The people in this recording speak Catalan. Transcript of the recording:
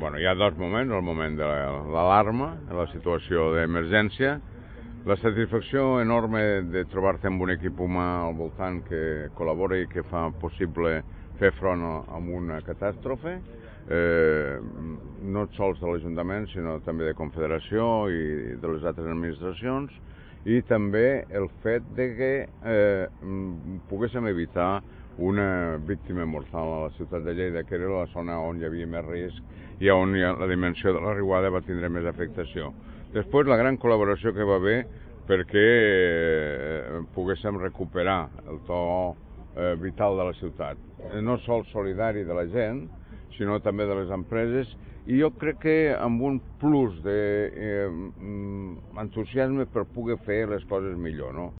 hi ha dos moments, el moment de l'alarma, la situació d'emergència, la satisfacció enorme de trobar-te amb un equip humà al voltant que col·labora i que fa possible fer front a una catàstrofe, no sols de l'Ajuntament, sinó també de Confederació i de les altres administracions, i també el fet de que poguéssim evitar una víctima mortal a la ciutat de Lleida, que era la zona on hi havia més risc i on la dimensió de la riuada va tindre més afectació. Després, la gran col·laboració que va haver perquè poguéssim recuperar el to vital de la ciutat, no sols solidari de la gent, sinó també de les empreses, i jo crec que amb un plus d'entusiasme per poder fer les coses millor, no?